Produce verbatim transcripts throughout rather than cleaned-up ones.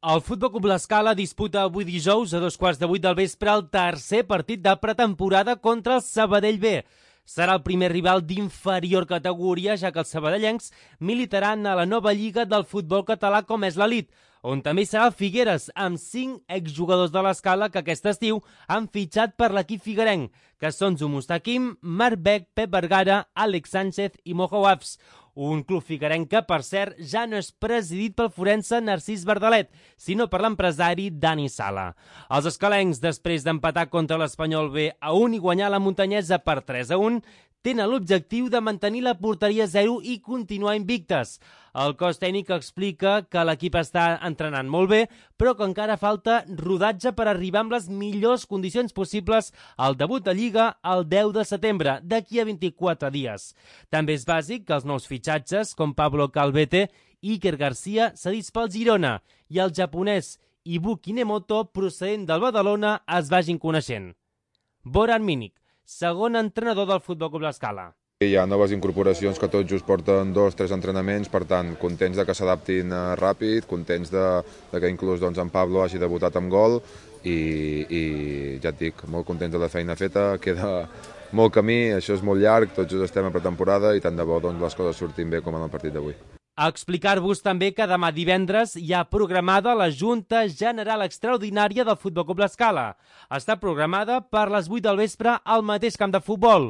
El Futbol Club L'Escala disputa avui dijous a dos quarts de vuit del vespre el tercer partit de pretemporada contra el Sabadell B. Serà el primer rival d'inferior categoria, ja que els sabadellencs militaran a la nova lliga del futbol català com és l'Elit, on també hi serà el Figueres, amb cinc exjugadors de l'Escala que aquest estiu han fitxat per l'equip figuerenc, que són Zumustaquim, Marc Beck, Pep Vergara, Àlex Sánchez i Mojo Wafs. Un club figuerenc que, per cert, ja no és presidit pel forense Narcís Verdalet, sinó per l'empresari Dani Sala. Els escalencs, després d'empatar contra l'Espanyol B a un i guanyar la Muntanyesa per tres a un, tenen l'objectiu de mantenir la porteria zero i continuar invictes. El cos tècnic explica que l'equip està entrenant molt bé, però que encara falta rodatge per arribar amb les millors condicions possibles al debut de Lliga el deu de setembre, d'aquí a vint-i-quatre dies. També és bàsic que els nous fitxatges, com Pablo Calvete i Iker Garcia, cedits pel Girona, i el japonès Ibu Kinemoto, procedent del Badalona, es vagin coneixent. Boran Minik, segon entrenador del Futbol Club L'Escala. Hi ha noves incorporacions que tot just porten dos o tres entrenaments, per tant, contents de que s'adaptin ràpid, contents de, de que inclús doncs, en Pablo hagi debutat amb gol i, i ja et dic, molt contents de la feina feta, queda molt camí, això és molt llarg, tots just estem a pretemporada i tant de bo doncs, les coses surtin bé com en el partit d'avui. A explicar-vos també que demà divendres hi ha programada la Junta General Extraordinària del Futbol Club L'Escala. Està programada per les vuit del vespre al mateix camp de futbol.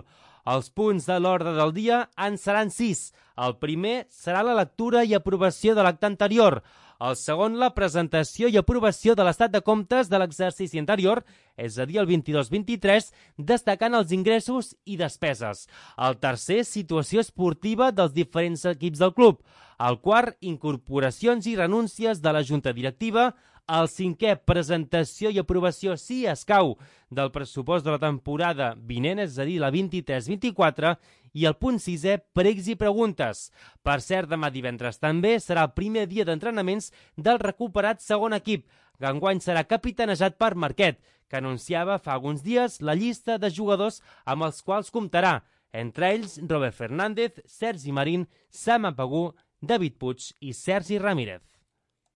Els punts de l'ordre del dia en seran sis. El primer serà la lectura i aprovació de l'acte anterior. El segon, la presentació i aprovació de l'estat de comptes de l'exercici anterior, és a dir, el vint-i-dos vint-i-tres, destacant els ingressos i despeses. El tercer, situació esportiva dels diferents equips del club. El quart, incorporacions i renúncies de la junta directiva. El cinquè, presentació i aprovació, si escau, del pressupost de la temporada vinent, és a dir, la vint-i-tres vint-i-quatre, i el punt sisè, pregs i preguntes. Per cert, demà divendres també serà el primer dia d'entrenaments del recuperat segon equip, que enguany serà capitanejat per Marquet, que anunciava fa alguns dies la llista de jugadors amb els quals comptarà, entre ells Robert Fernández, Sergi Marín, Sam Apagú, David Puig i Sergi Ramírez.